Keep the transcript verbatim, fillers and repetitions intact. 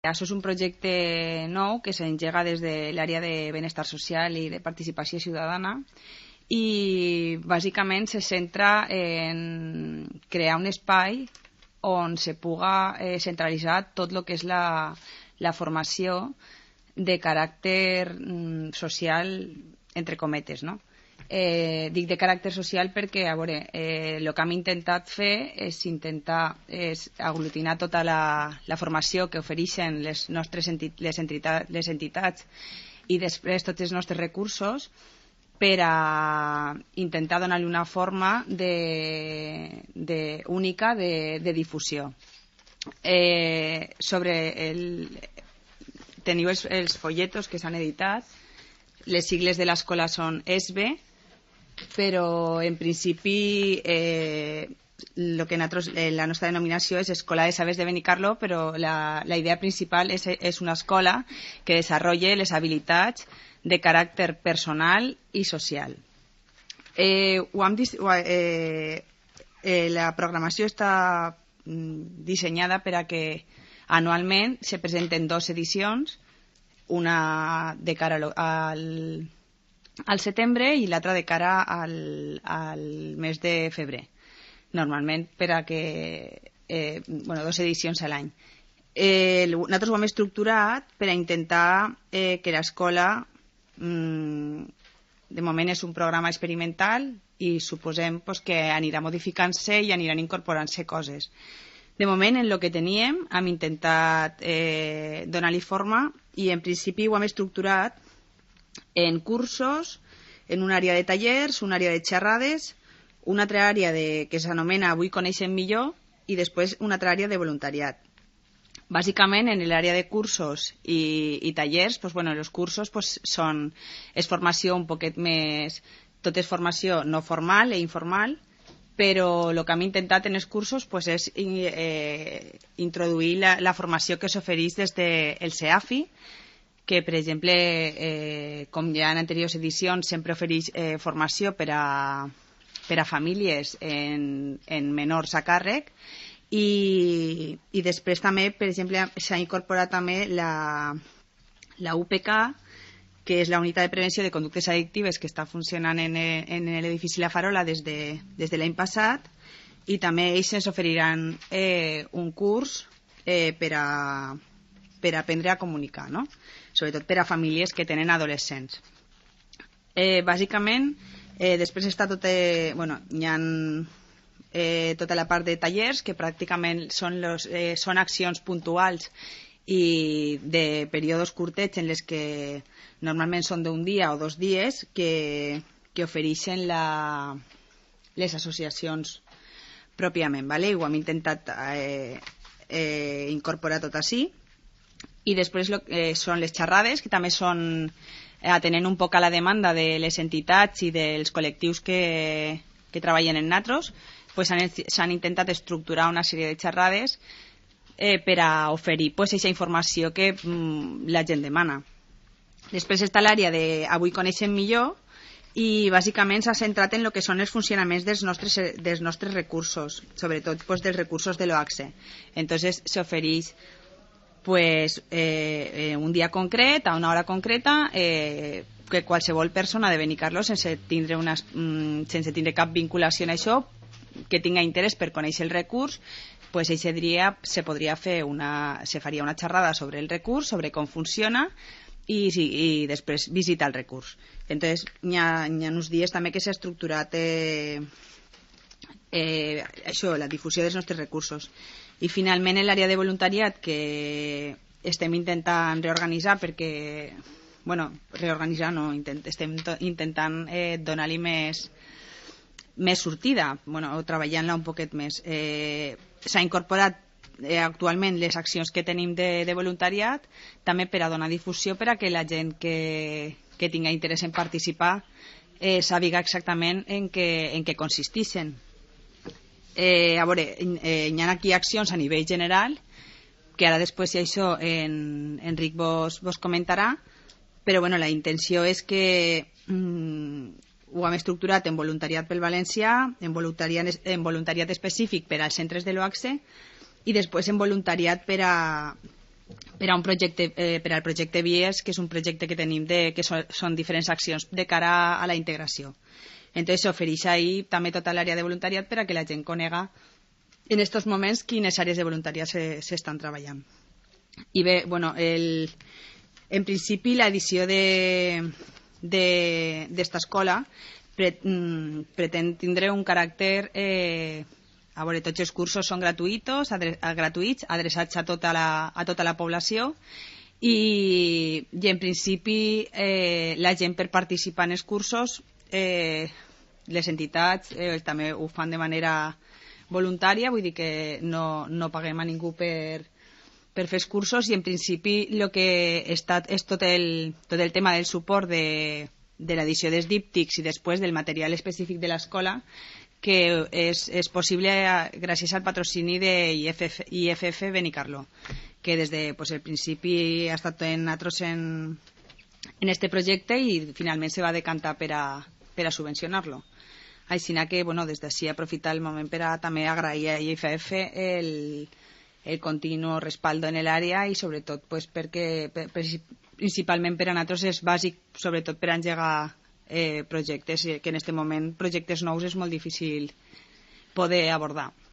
Això és un projecte nou que s'engega des de l'àrea de benestar social i de participació ciutadana i bàsicament se centra en crear un espai on se puga eh, centralitzar tot el que és la, la formació de caràcter mm, social, entre cometes, no? Eh, dic de caràcter social perquè, a veure, eh, el que hem intentat fer és intentar és aglutinar tota la, la formació que ofereixen les nostres enti les, entitats, les entitats i després tots els nostres recursos per a intentar donar-li una forma de, de, única de, de difusió. Eh, sobre el... Teniu els, els folletos que s'han editat, les sigles de l'escola són E S B E, però en principi eh, lo que nosaltres, eh, la nostra denominació és Escola de Sabers de Benicarló, però la, la idea principal és, és una escola que desenvolupi les habilitats de caràcter personal i social. Eh, ho hem, eh, eh, la programació està mm, dissenyada per a que anualment se presenten dues edicions, una de cara al, al setembre i l'altra de cara al, al mes de febrer. Normalment per a que... Eh, bueno, dues edicions a l'any. Eh, nosaltres ho hem estructurat per a intentar eh, que l'escola, mm, de moment és un programa experimental i suposem pues, que anirà modificant-se i aniran incorporant-se coses. De moment, en el que teníem, hem intentat eh, donar-li forma i en principi ho hem estructurat en cursos, en una àrea de tallers, una àrea de xerrades, una altra àrea de, que s'anomena Avui coneixem millor i després una altra àrea de voluntariat. Bàsicament, en l'àrea de cursos i, i tallers, pues, bueno, els cursos pues, són, és formació un poquet més... Tot és formació no formal e informal, però el que hem intentat en els cursos pues, és eh, introduir la, la formació que s'ofereix des del CEAFI, que, per exemple, eh, com ja en anteriors edicions, sempre ofereix eh, formació per a, per a famílies en, en menors a càrrec, i, i després també, per exemple, s'ha incorporat també la, la U P K, que és la unitat de prevenció de conductes addictives que està funcionant en, en l'edifici La Farola des de, des de l'any passat, i també ells ens oferiran eh, un curs eh, per, a, per a aprendre a comunicar, no? Sobretot per a famílies que tenen adolescents. Eh, bàsicament, eh, després està tot... Eh, bueno, hi ha eh, tota la part de tallers, que pràcticament són, los, eh, són accions puntuals i de períodes curtets en les que normalment són d'un dia o dos dies que, que ofereixen la, les associacions pròpiament, ¿vale? Ho hem intentat eh, eh, incorporar tot així. I després lo, eh, són les xerrades, que també són eh, atenent un poc a la demanda de les entitats i dels col·lectius que, que treballen en natros, pues s'han intentat estructurar una sèrie de xerrades eh, per a oferir pues, aquesta informació que mm, la gent demana. Després està l'àrea de Avui coneixem millor i bàsicament s'ha centrat en el que són els funcionaments dels nostres, dels nostres recursos, sobretot pues, dels recursos de l'O A C S E. Entonces s'ofereix pues, eh, un dia concret, a una hora concreta, eh, que qualsevol persona de Benicarló, sense tindre, una, mm, sense tindre cap vinculació en això, que tinga interès per conèixer el recurs, pues ese dia se podria fer una, se faria una xerrada sobre el recurs, sobre com funciona i, i, i després visitar el recurs. Entonces, hi ha, hi ha uns dies també que s'ha estructurat eh, eh, això, la difusió dels nostres recursos. I finalment en l'àrea de voluntariat, que estem intentant reorganitzar perquè, bueno, reorganitzar no, intent, estem intentant eh, donar-li més més sortida, bueno, o treballant-la un poquet més. Eh, s'ha incorporat eh, actualment les accions que tenim de, de voluntariat, també per a donar difusió per a que la gent que, que tinga interès en participar eh, sàpiga exactament en què, en què consisteixen. Eh, a veure, eh, hi ha aquí accions a nivell general, que ara després si això en, Enric vos, vos comentarà, però bueno, la intenció és que mmm, ho hem estructurat en voluntariat pel valencià, en voluntariat, en voluntariat específic per als centres de l'O A C S E i després en voluntariat per a, per a un projecte, eh, per al projecte Vies, que és un projecte que tenim de, que són, són diferents accions de cara a la integració. Entonces s'ofereix ahí també tota l'àrea de voluntariat per a que la gent conega en aquests moments quines àrees de voluntariat s'estan treballant. I bé, bueno, el, en principi l'edició d'esta escola pre, mm, pretén tindre un caràcter... Eh, a veure, tots els cursos són gratuïts, adre, gratuïts adreçats a tota la, a tota la població i, i en principi eh, la gent per participar en els cursos, eh, les entitats eh, també ho fan de manera voluntària, vull dir que no, no paguem a ningú per, per fer els cursos i en principi el que està és tot el, tot el tema del suport de, de l'edició dels díptics i després del material específic de l'escola, que és, és possible gràcies al patrocini de I F F, I F F Benicarló, que des de pues, el principi ha estat en nosaltres en, en este projecte i finalment se va decantar per a, per a subvencionar-lo. Així que bueno, des d'ací aprofitar el moment per a també agrair a I F F el, el continu respaldo en l'àrea i sobretot pues, perquè per, principalment per a nosaltres és bàsic, sobretot per a engegar Eh, projectes, que en aquest moment projectes nous és molt difícil poder abordar.